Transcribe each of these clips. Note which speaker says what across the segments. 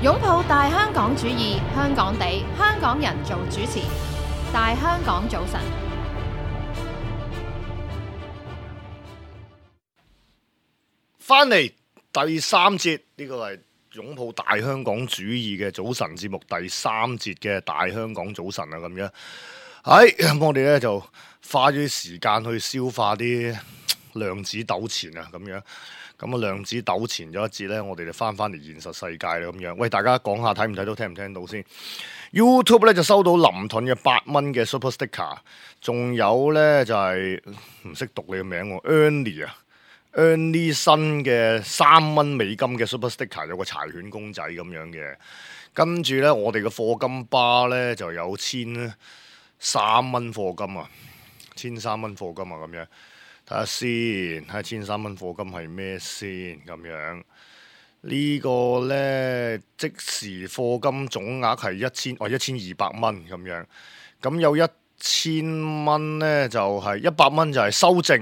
Speaker 1: 擁抱大香港主義，香港地，香港人做主持。大香港早晨，
Speaker 2: 翻嚟第三節，呢個係擁抱大香港主義嘅早晨節目第三節嘅大香港早晨啊，咁樣。咁我哋咧就花咗啲時間去消化啲量子糾纏啊，咁樣。咁啊，量子糾纏咗一節咧，我哋就翻嚟現實世界啦，咁樣。喂，大家講下睇唔睇到，聽唔聽到先？YouTube 咧就收到林盾嘅8蚊嘅 Super Sticker， 仲有咧就係唔識讀你嘅名喎 ，Ernie 新嘅3蚊美金嘅 Super Sticker， 有個柴犬公仔咁樣嘅。跟住咧，我哋嘅課金巴咧就有1,300蚊課金啊，1,300蚊課金啊，咁樣。睇下先，睇下1,300蚊課金係咩先咁樣？呢個呢，即時課金總額係1,200蚊咁樣。咁有1,000蚊呢，就係100蚊就係修正，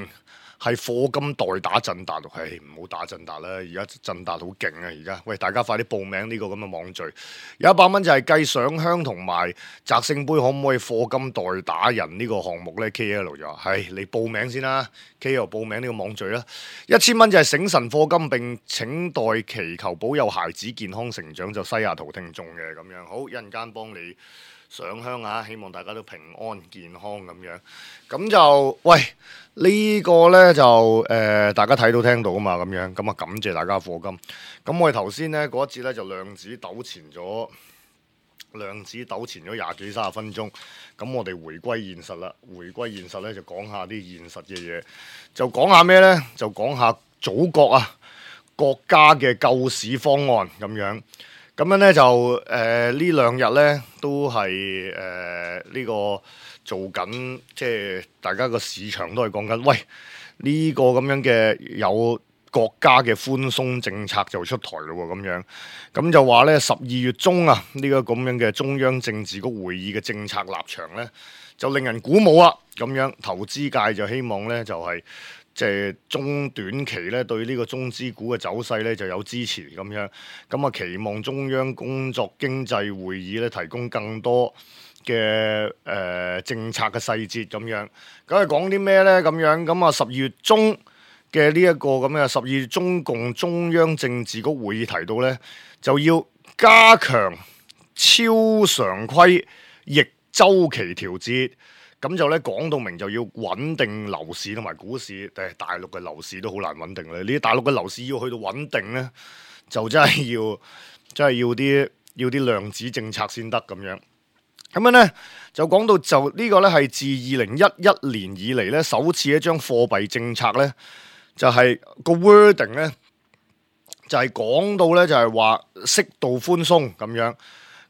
Speaker 2: 係課金代打振達。唔好打振達啦，而家振達好勁啊！而家，喂，大家快啲報名呢個咁嘅網聚。有100蚊就係計上香同埋擲聖杯，可唔可以課金代打人呢個項目呢？ KL 就話你報名先啦。KL 報名呢個網聚啦。1,000蚊就係醒神課金，並請代祈求保佑孩子健康成長，就西雅圖聽眾嘅咁樣。好，一陣間幫你上香啊！希望大家都平安健康咁樣。咁就喂。呢個呢，就大家睇到聽到啊嘛，咁樣咁啊，感謝大家課金。咁我哋頭先呢嗰一節呢，就量子糾纏咗20幾30分鐘。咁我哋回歸現實啦，回歸現實呢，就講下啲現實嘅嘢，就講下咩呢？就講下祖國啊國家嘅救市方案咁樣。咁樣呢，就呢2日呢，都係呢個做緊，即係大家個市場都係講緊，喂，呢個咁樣嘅有國家嘅寬鬆政策就出台咯喎，咁樣。咁就話呢12月中啊，呢個咁樣嘅中央政治局會議嘅政策立場呢，就令人鼓舞啊，咁樣投資界就希望呢，就係即係中短期咧對呢個中資股嘅走勢咧就有支持咁樣，咁啊期望中央工作經濟會議咧提供更多嘅政策嘅細節咁樣。咁係講啲咩呢？咁樣咁啊12月中嘅呢一個咁嘅12月中共中央政治局會議提到呢，就要加強超常規逆週期調節。咁就咧講到明就要穩定樓市同埋股市，但係大陸嘅樓市都好難穩定咧。呢啲大陸嘅樓市要去到穩定咧，就真係要啲量子政策先得咁樣。咁樣咧就講到就呢個咧係自2011年以嚟咧首次一張貨幣政策咧就係個 wording 咧就係講到咧就係話適度寬鬆咁樣。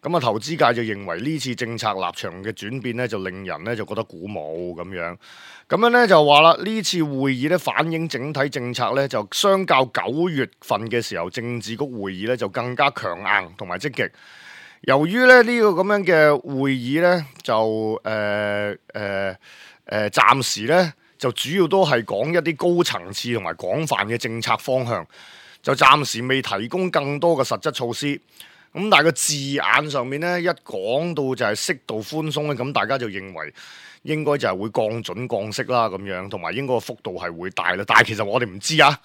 Speaker 2: 咁啊，投資界就認為呢次政策立場嘅轉變咧，就令人咧就覺得鼓舞咁樣。咁樣咧就話啦，呢次會議咧反映整體政策咧，就相較9月份嘅時候政治局會議咧就更加強硬同埋積極。由於咧呢個咁樣嘅會議咧，就暫時咧就主要都係講一啲高層次同埋廣泛嘅政策方向，就暫時未提供更多嘅實質措施。咁但係個字眼上面咧，一講到就係適度寬鬆咧，咁大家就認為應該就係會降準降息啦咁樣，同埋應該個幅度係會大啦。但係其實我哋唔知啊，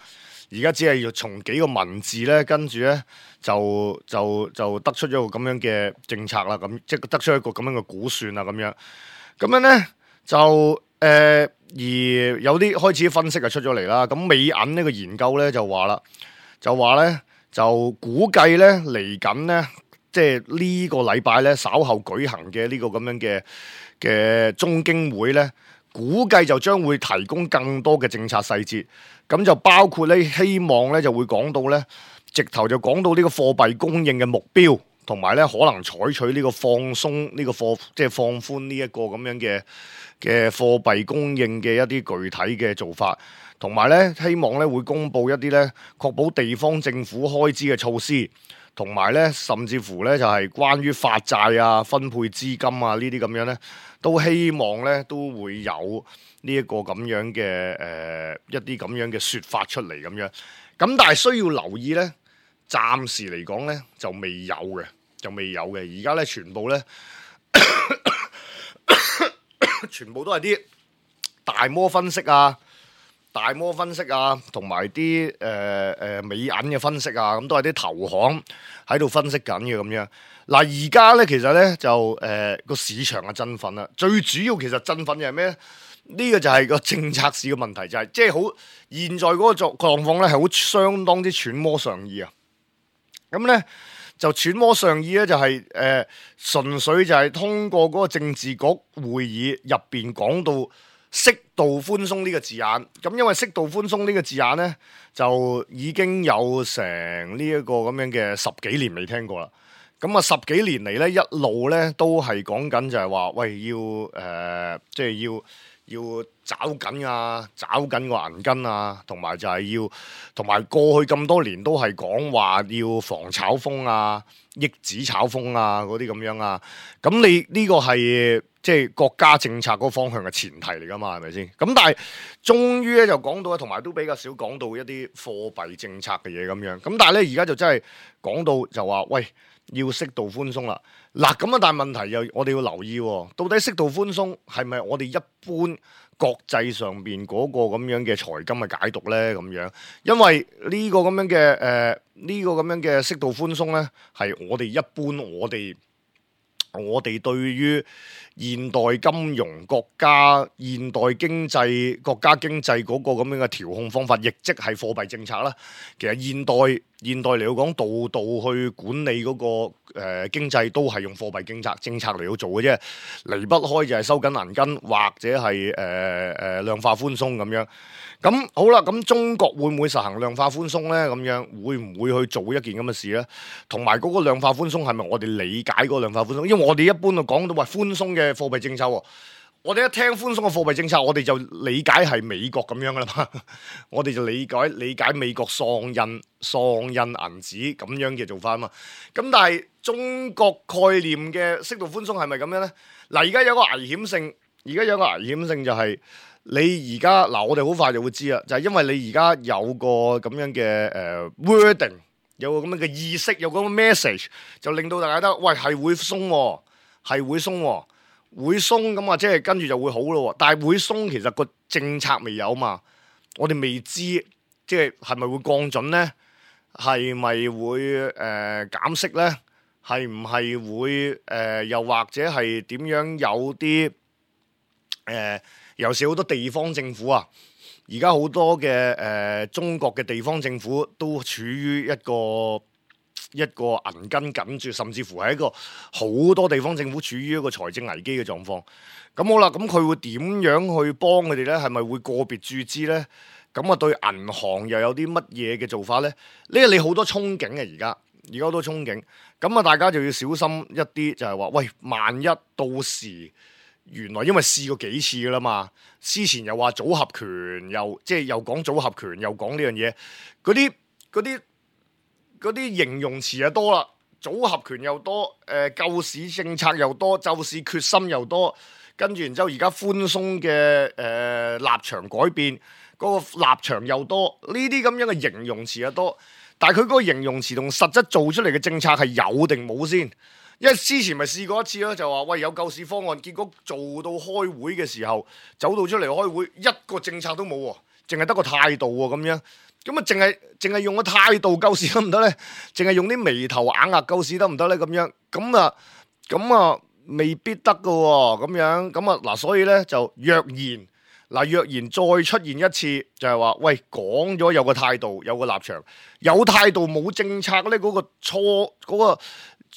Speaker 2: 而家只係要從幾個文字咧，跟住咧就得出咗個咁樣嘅政策啦，咁即係得出一個咁樣嘅估算啦咁樣。咁樣咧就而有啲開始分析就出咗嚟啦。咁美銀呢個研究咧就話咧。就估計咧嚟緊咧，即係呢個禮拜咧稍後舉行嘅呢個咁樣嘅中經會咧，估計就將會提供更多嘅政策細節。咁就包括咧，希望咧就會講到咧，直頭就講到呢個貨幣供應嘅目標，同埋咧可能採取呢個放鬆呢個即係放寬呢一個咁樣嘅貨幣供應嘅一啲具體嘅做法。同埋咧，希望咧會公布一啲咧確保地方政府開支嘅措施，同埋咧甚至乎咧就係關於發債啊、分配資金啊呢啲咁樣咧，都希望咧都會有呢一個咁樣嘅一啲咁樣嘅説法出嚟咁樣。咁但係需要留意咧，暫時嚟講咧就未有嘅，而家咧全部咧全部都係啲大摩分析啊，同埋啲美銀嘅分析啊，咁都係啲投行喺度分析緊嘅咁樣。嗱，而家咧其實咧就個市場嘅振奮啦，最主要其實振奮嘅係咩咧？呢個就係個政策市嘅問題，就係即係好現在嗰個狀況咧係好相當之揣摩上意啊。咁咧就揣摩上意咧就係純粹就係通過嗰個政治局會議入邊講到適度寬鬆呢個字眼，咁因為適度寬鬆呢個字眼咧就已經有成呢一個咁樣嘅10幾年未聽過啦。咁啊10幾年嚟咧一路咧都係講緊就係話喂要即係要找緊啊，找緊個銀根啊，同埋就係要，同埋過去咁多年都係講話要防炒風啊、抑止炒風啊嗰啲咁樣啊。咁你呢個係即係國家政策嗰個方向嘅前提嚟㗎嘛，係咪先？咁但係終於咧就講到，同埋都比較少講到一啲貨幣政策嘅嘢咁樣。咁但係咧而家就真係講到就話喂，要適度寬鬆啦。嗱咁啊，但係問題又我哋要留意喎，到底適度寬鬆係咪我哋一般國際上邊嗰個咁樣嘅財金嘅解讀咧？咁樣，因為呢個咁樣嘅呢個咁樣嘅適度寬鬆咧，係我哋一般我哋對於現代金融國家、現代經濟國家經濟嗰個咁樣嘅調控方法，亦即係貨幣政策啦。其實現代嚟講，度度去管理嗰個經濟都係用貨幣政策嚟到做嘅啫，離不開就係收緊銀根或者係量化寬鬆咁樣。咁好啦，咁中國會唔會實行量化寬鬆咧？咁樣會唔會去做一件咁嘅事咧？同埋嗰個量化寬鬆係咪我哋理解嗰個量化寬鬆？因為我哋一般就講到話寬鬆嘅貨幣政策喎，我哋一聽寬鬆嘅貨幣政策，我哋就理解係美國咁樣噶啦嘛，我哋就理解美國喪印銀紙咁樣嘅做法啊嘛。咁但係中國概念嘅適度寬鬆係咪咁樣咧？嗱，而家有個危險性就係。你而家嗱，我哋好快就會知啦，就係因為你而家有個咁樣嘅wording，有個咁樣嘅意識，有個咁嘅 message，就令到大家覺得喂係會鬆喎，係會鬆喎，會鬆咁啊，即係跟住就會好咯。但係會鬆其實個政策未有嘛，我哋未知，即係咪會降準咧？係咪會減息咧？係唔係會又或者係點樣有啲尤其是好多地方政府啊，而家好多嘅中國嘅地方政府都處於一個銀根緊絀，甚至乎係一個好多地方政府處於一個財政危機嘅狀況。咁好啦，咁佢會點樣去幫佢哋咧？係咪會個別注資咧？咁啊，對銀行又有啲乜嘢嘅做法咧？呢個你好多憧憬嘅，而家好多憧憬。咁啊，大家就要小心一啲，就係話喂，萬一到時。原來因為試過幾次噶啦嘛，之前又話組合拳，又講組合拳，又講呢樣嘢，嗰啲形容詞就多啦，組合拳又多，救市政策又多，救市決心又多，跟住然之後而家寬鬆嘅立場改變，嗰個立場又多，呢啲咁樣嘅形容詞又多，但係佢嗰個形容詞同實質做出嚟嘅政策係有定冇先？因為之前咪試過一次咯，就話喂有救市方案，結果做到開會嘅時候，走到出嚟開會，一個政策都冇喎，淨係得個態度喎咁樣，咁啊淨係用個態度救市得唔得咧？淨係用啲眉頭眼額救市得唔得咧？咁樣咁啊未必得噶喎，咁樣咁啊嗱，所以咧就若然再出現一次，就係話喂講咗有個態度，有個立場，有態度冇政策咧，嗰個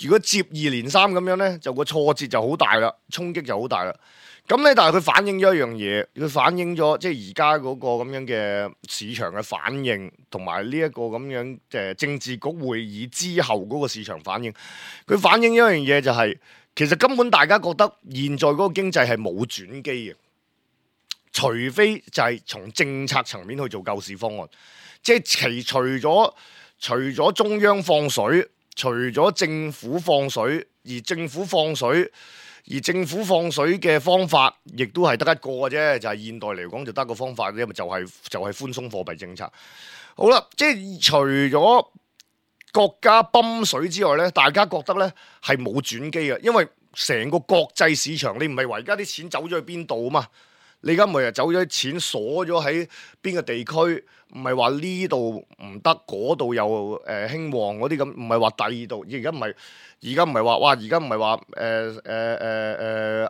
Speaker 2: 如果接二連三咁樣咧，就個挫折就好大啦，衝擊就好大啦。咁咧，但係佢反映咗一樣嘢，佢反映咗即係而家嗰個咁樣嘅市場嘅反應，同埋呢一個咁樣政治局會議之後嗰個市場反應。佢反映一樣嘢就係，其實根本大家覺得現在嗰個經濟係冇轉機嘅，除非就係從政策層面去做救市方案，即係除咗中央放水。除咗政府放水，而政府放水嘅方法，亦都係得一個嘅啫。就係現代嚟講，就得個方法啫，就係寬鬆貨幣政策。好啦，即係除咗國家泵水之外咧，大家覺得咧係冇轉機嘅，因為成個國際市場你唔係話而家啲錢走咗去邊度啊嘛？你而家唔係走咗啲錢鎖咗喺邊個地區？唔係話呢度唔得，嗰度又興旺嗰啲咁，唔係話第二度。而家唔係話哇！而家唔係話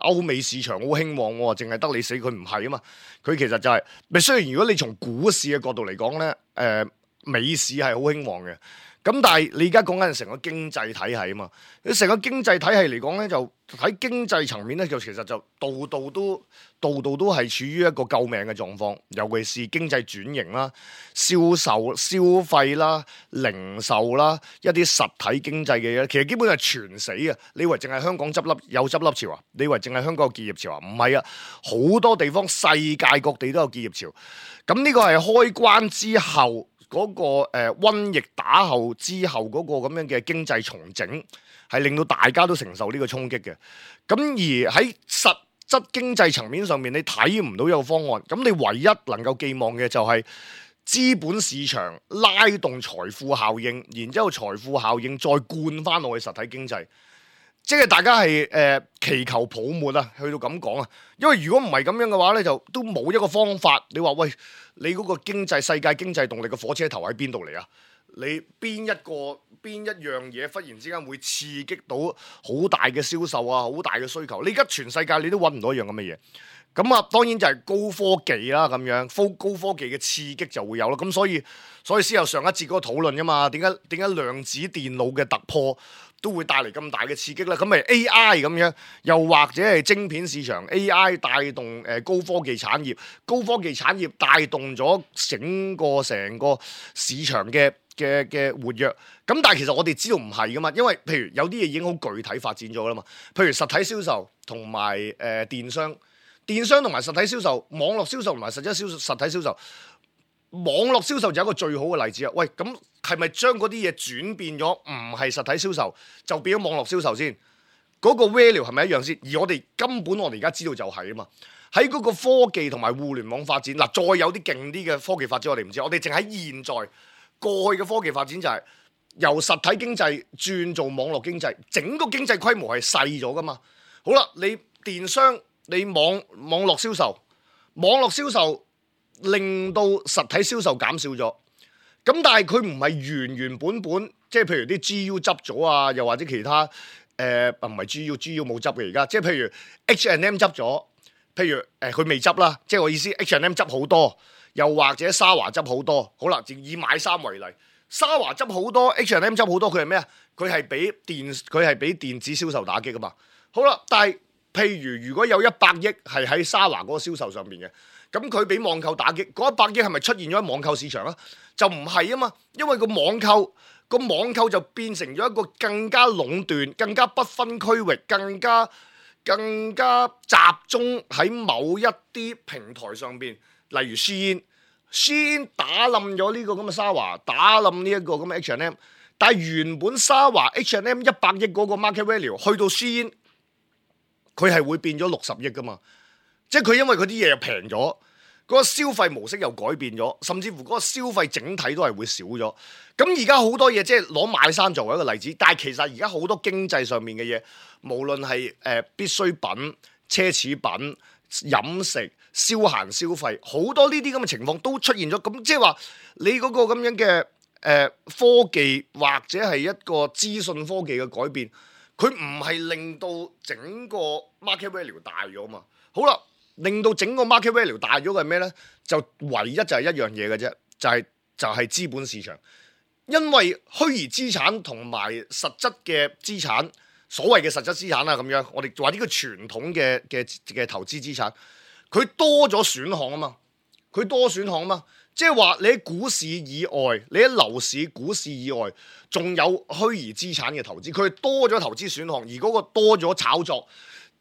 Speaker 2: 歐美市場好興旺喎，淨係得你死，佢唔係啊嘛。佢其實就係、咪雖然如果你從股市嘅角度嚟講咧，美市係好興旺嘅。咁但係你而家講緊成個經濟體系啊嘛，你成個經濟體系嚟講咧，就喺經濟層面咧，就其實就度度都係處於一個救命嘅狀況，尤其是經濟轉型啦、銷售、消費啦、零售啦，一啲實體經濟嘅嘢，其實基本上係全死啊！你以為淨係香港執笠有執笠潮啊？你以為淨係香港有結業潮啊？唔係啊，好多地方世界各地都有結業潮。咁呢個係開關之後。嗰個瘟疫打後之後嗰個咁樣嘅經濟重整，係令到大家都承受呢個衝擊嘅。咁而喺實質經濟層面上面，你睇唔到有方案。咁你唯一能夠寄望嘅就係資本市場拉動財富效應，然之後財富效應再灌翻落去實體經濟。即係大家係祈求泡沫啊，去到咁講啊，因為如果唔係咁樣嘅話咧，就都冇一個方法。你話喂，你嗰個世界經濟動力嘅火車頭喺邊度嚟啊？你邊一樣嘢忽然之間會刺激到好大嘅銷售啊，好大嘅需求？你而家全世界你都揾唔到一樣咁嘅嘢。咁啊，當然就係高科技啦，咁樣高科技嘅刺激就會有啦。咁所以先有上一節嗰個討論啫嘛。點解量子電腦嘅突破都會帶嚟咁大嘅刺激咧？咁咪 AI 咁樣，又或者係晶片市場 AI 帶動高科技產業，高科技產業帶動咗成個市場嘅活躍。咁但係其實我哋知道唔係噶嘛，因為譬如有啲嘢已經好具體發展咗啦嘛。譬如實體銷售同埋電商同埋實體銷售，網絡銷售同埋實體銷售，網絡銷售就係一個最好嘅例子啊！喂，咁係咪將嗰啲嘢轉變咗，唔係實體銷售就變咗網絡銷售先？嗰個 value 係咪一樣先？而我哋而家知道就係啊嘛。喺嗰個科技同埋互聯網發展，嗱，再有啲勁啲嘅科技發展，我哋唔知。我哋淨喺現在過去嘅科技發展就係由實體經濟轉做網絡經濟，整個經濟規模係細咗噶嘛。好啦，你電商。你網絡銷售令到實體銷售減少咗，咁但係佢唔係原本，即係譬如啲 GU 執咗啊，又或者其他唔係 GU 冇執嘅而家，即係譬如 H&M 執咗，譬如佢未執啦，即係我意思 H&M 執好多，又或者沙華執好多，好啦，以買衫為例，沙華執好多 H&M 執好多，佢係咩啊？佢係俾電子銷售打擊噶嘛，好啦，但係譬如果有100億係喺沙華嗰個銷售上面嘅，咁佢俾網購打擊，嗰100億係咪出現咗喺網購市場啊？就唔係啊嘛，因為個網購就變成咗一個更加壟斷、更加不分區域、更加集中喺某一啲平台上邊，例如 Shein 打冧咗呢個咁嘅沙華，打冧呢一個咁嘅 H&M， 但係原本沙華 H&M 100億嗰個 market value 去到 Shein。佢係會變咗60億噶嘛，即係佢因為佢啲嘢又平咗，嗰個消費模式又改變咗，甚至乎嗰個消費整體都係會少咗。咁而家好多嘢即係攞買衫作為一個例子，但係其實而家好多經濟上面嘅嘢，無論係必需品、奢侈品、飲食、消閒消費，好多呢啲咁嘅情況都出現咗。咁即係話你嗰個咁樣嘅科技或者係一個資訊科技嘅改變。佢唔係令到整個 market value 大咗嘛？好啦，令到整個 market value 大咗嘅係咩咧？就唯一就係一樣嘢嘅啫，就係資本市場。因為虛擬資產同埋實質嘅資產，所謂嘅實質資產啦，咁樣我哋話呢個傳統嘅投資資產，佢多咗選項啊嘛，即係話你喺股市以外，你喺樓市、股市以外，仲有虛擬資產嘅投資，佢多咗投資選項，而嗰個多咗炒作，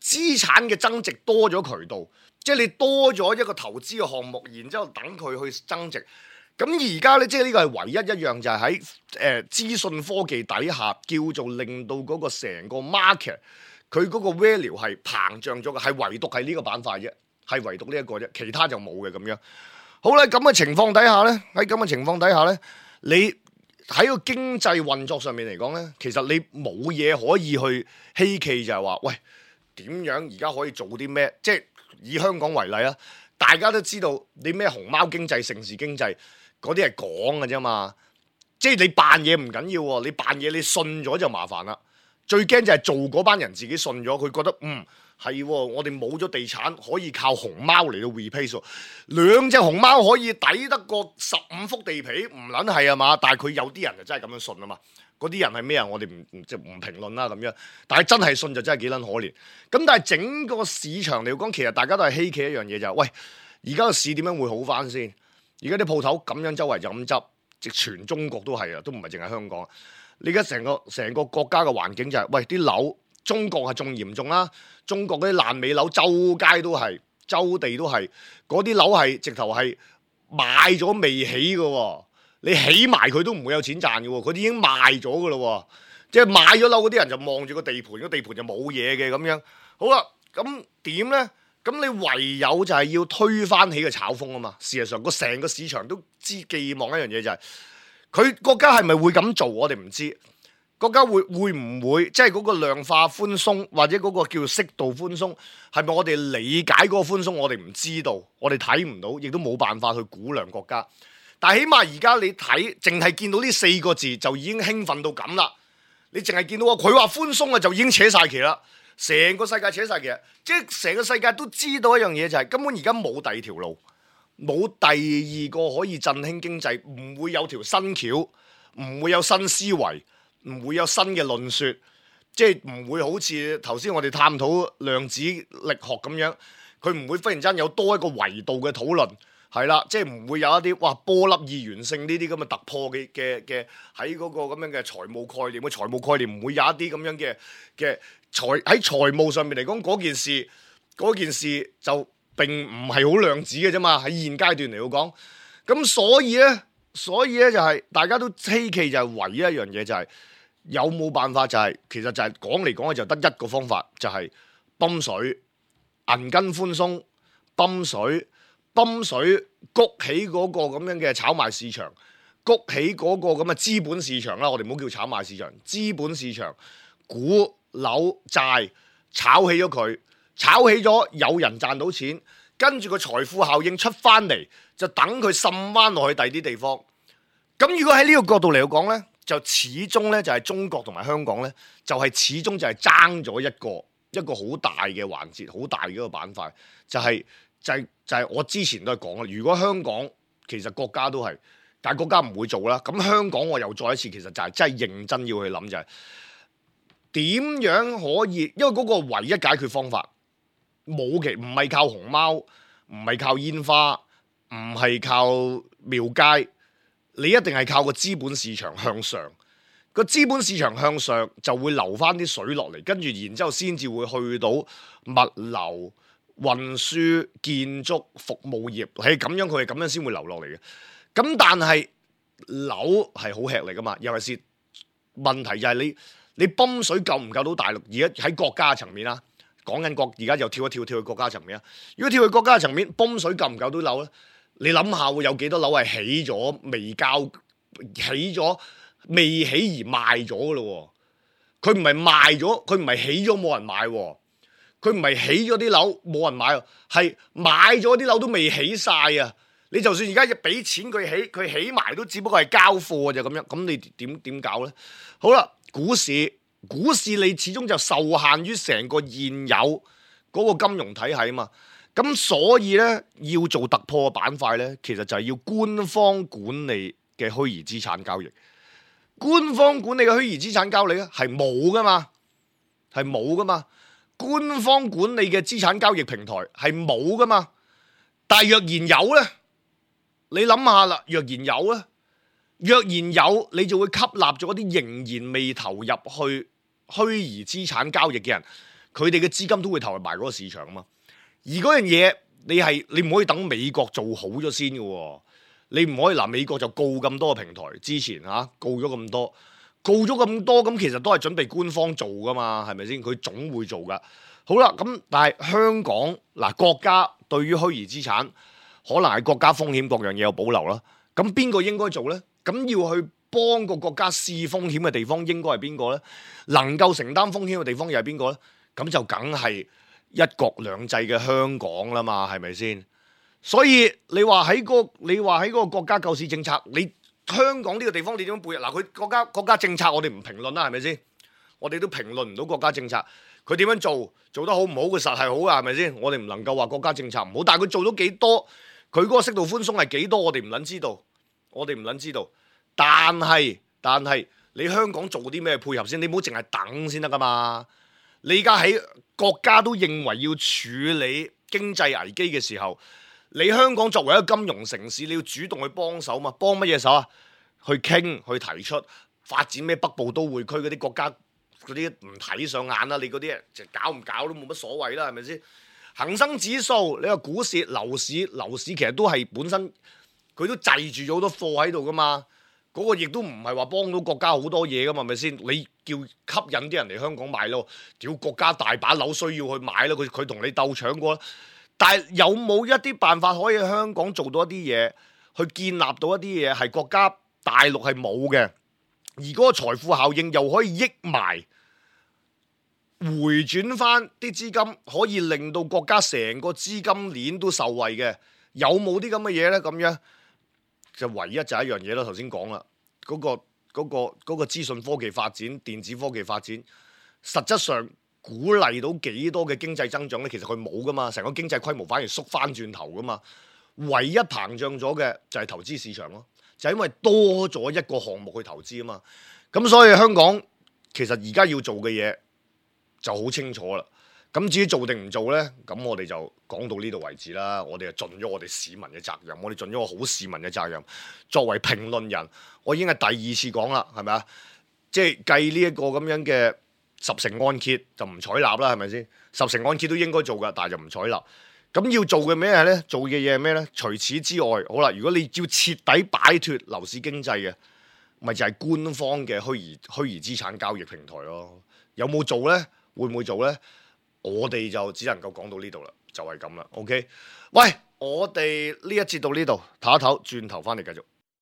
Speaker 2: 資產嘅增值多咗渠道，即係你多咗一個投資嘅項目，然之後等佢去增值。咁而家咧，即係呢個係唯一一樣，就係喺資訊科技底下，叫做令到嗰個成個 market 佢嗰個 value 係膨脹咗嘅，係唯獨係呢個板塊啫，係唯獨呢一個啫，其他就冇嘅咁樣。好啦，咁嘅情況底下咧，你喺個經濟運作上面嚟講咧，其實你冇嘢可以去希冀，就係話喂點樣而家可以做啲咩？即係以香港為例啊，大家都知道你咩熊貓經濟、城市經濟嗰啲係講嘅啫嘛。即係你扮嘢唔緊要喎，你扮嘢你信咗就麻煩啦。最驚就係做嗰班人自己信咗，佢覺得係喎，我哋冇咗地產可以靠熊貓嚟到 replace 喎，兩隻熊貓可以抵得過15幅地皮，唔撚係啊嘛？但係佢有啲人就真係咁樣信啊嘛。嗰啲人係咩啊？我哋唔評論啦咁樣。但係真係信就真係幾撚可憐。咁但係整個市場嚟講，其實大家都係希冀一樣嘢就係，喂，而家個市點樣會好翻先？而家啲鋪頭咁樣周圍就咁執，直全中國都係啊，都唔係淨係香港。你而家成個國家嘅環境就係，喂，啲樓中國係仲嚴重啦。中國嗰啲爛尾樓，周街都係，周地都係，嗰啲樓係直頭係買咗未起嘅喎，你起埋佢都唔會有錢賺嘅喎，佢哋已經賣咗嘅咯喎，即係買咗樓嗰啲人就望住個地盤，個地盤就冇嘢嘅咁樣。好啦，咁點呢？咁你唯有就係要推翻起個炒風啊嘛。事實上，成個市場都寄望一樣嘢就係，佢國家係咪會咁做？我哋唔知。國家會唔會即係嗰個量化寬鬆，或者嗰個叫適度寬鬆，係咪我哋理解嗰個寬鬆？我哋唔知道，我哋睇唔到，亦都冇辦法去估量國家。但係起碼而家你睇，淨係見到呢4個字就已經興奮到咁啦。你淨係見到佢話寬鬆啊，就已經扯晒旗啦。成個世界扯晒旗，即係成個世界都知道一樣嘢就係，根本而家冇第二條路，冇第二個可以振興經濟，唔會有條新橋，唔會有新思維。唔會有新嘅論說，即係唔會好似頭先我哋探討量子力學咁樣，佢唔會忽然間有多一個維度嘅討論，係啦，即係唔會有一啲波粒二元性呢啲咁嘅突破嘅喺嗰個咁樣嘅財務概念，個財務概念唔會有一啲咁樣嘅喺財務上面嚟講嗰件事就並唔係好量子嘅啫嘛，喺現階段嚟講，咁所以咧就係大家都希冀就係唯一一樣嘢就係。有冇辦法就係，其實就係講嚟講去就得一個方法，就係泵水、銀根寬鬆、泵水谷起嗰個咁樣嘅炒賣市場，谷起嗰個咁嘅資本市場啦。我哋唔好叫炒賣市場，資本市場股樓債炒起咗佢，炒起咗有人賺到錢，跟住個財富效應出翻嚟，就等佢滲翻落去第二啲地方。咁如果喺呢個角度嚟講呢，就始終咧就係中國同埋香港咧，就係始終就係爭咗一個好大嘅環節，好大嘅一個板塊，就係我之前都係講啦。如果香港其實國家都係，但係國家唔會做啦。咁香港我又再一次，其實就係真係認真要去諗，就係點樣可以，因為嗰個唯一解決方法唔係靠熊貓，唔係靠煙花，唔係靠廟街。你一定係靠個資本市場向上，個資本市場向上就會流翻啲水落嚟，跟住然之後先至會去到物流、運輸、建築、服務業，係咁樣，佢係咁樣先會流落嚟嘅。咁但係樓係好吃力噶嘛，尤其是問題就係你泵水夠唔夠到大陸？而家喺國家層面啦，講緊而家又跳去國家層面啦。如果跳去國家層面，泵水夠唔夠到樓咧？你諗下會有幾多樓係起咗未交，起咗未起而賣咗嘅咯？佢唔係賣咗，佢唔係起咗冇人買，佢唔係起咗啲樓冇人買，係買咗啲樓都未起晒啊！你就算而家俾錢佢起埋都只不過係交貨就咁樣，咁你點搞呢？好啦，股市你始終就受限於成個現有嗰個金融體系啊嘛。咁所以咧，要做突破嘅板塊咧，其實就係要官方管理嘅虛擬資產交易。官方管理嘅虛擬資產交易咧係冇噶嘛，官方管理嘅資產交易平台係冇噶嘛。但係若然有咧，你諗下啦，若然有，你就會吸納咗啲仍然未投入去虛擬資產交易嘅人，佢哋嘅資金都會投入埋嗰個市場啊嘛。而嗰樣嘢，你唔可以等美國做好咗先嘅喎，你唔可以美國就告咁多個平台，之前告咗咁多，咁其實都係準備官方做噶嘛，係咪先？佢總會做噶。好啦，咁但係香港國家對於虛擬資產，可能係國家風險各樣嘢有保留啦。咁邊個應該做呢？咁要去幫個國家試風險嘅地方應該係邊個呢？能夠承擔風險嘅地方又係邊個呢？咁就梗係一國兩制嘅香港啦嘛，係咪先？所以你話喺嗰個國家救市政策，你香港呢個地方你點樣背？嗱，佢國家政策我哋唔評論啦，係咪先？我哋都評論唔到國家政策，佢點樣做得好唔好？佢實係好噶，係咪先？我哋唔能夠話國家政策唔好，但係佢做咗幾多？佢嗰個適度寬鬆係幾多？我哋唔撚知道，但係你香港做啲咩配合先？你唔好淨係等先得噶嘛！你而家喺國家都認為要處理經濟危機嘅時候，你香港作為一個金融城市，你要主動去幫手嘛？幫乜嘢手啊？去傾，去提出發展咩北部都會區嗰啲國家。嗰啲唔睇上眼啦，你嗰啲就搞唔搞都冇乜所謂啦，係咪先？恒生指數，你話股市、樓市其實都係本身佢都滯住咗好多貨喺度噶嘛，嗰個亦都唔係話幫到國家好多嘢噶嘛，係咪先？你叫吸引啲人嚟香港買咯，屌國家大把樓需要去買咯，佢同你鬥搶過啦。但係有冇一啲辦法可以喺香港做到一啲嘢，去建立到一啲嘢係國家大陸係冇嘅，而嗰個財富效應又可以益埋？回轉翻啲資金，可以令到國家成個資金鏈都受惠嘅，有冇啲咁嘅嘢呢？咁樣就唯一就係一樣嘢啦。頭先講啦，嗰個資訊科技發展、電子科技發展，實質上鼓勵到幾多嘅經濟增長呢？其實佢冇噶嘛，成個經濟規模反而縮翻轉頭噶嘛。唯一膨脹咗嘅就係投資市場咯，就係因為多咗一個項目去投資啊嘛。咁所以香港其實而家要做嘅嘢就好清楚啦，咁至於做定唔做呢？咁我哋就講到呢度為止啦。我哋就盡咗我哋市民嘅責任，我哋盡咗個好市民嘅責任。作為評論人，我已經係第二次講啦，係咪啊？即係計呢一個咁樣嘅10成按揭就唔採納啦，係咪先？10成按揭都應該做噶，但係就唔採納。咁要做嘅咩呢？做嘅嘢係咩呢？除此之外，好啦，如果你要徹底擺脫樓市經濟嘅，咪就係官方嘅虛擬資產交易平台咯。有冇做呢？會唔會做呢？我哋就只能夠講到呢度啦，就係咁啦。OK，喂，我哋呢一節到呢度，唞一唞，轉頭翻嚟繼續。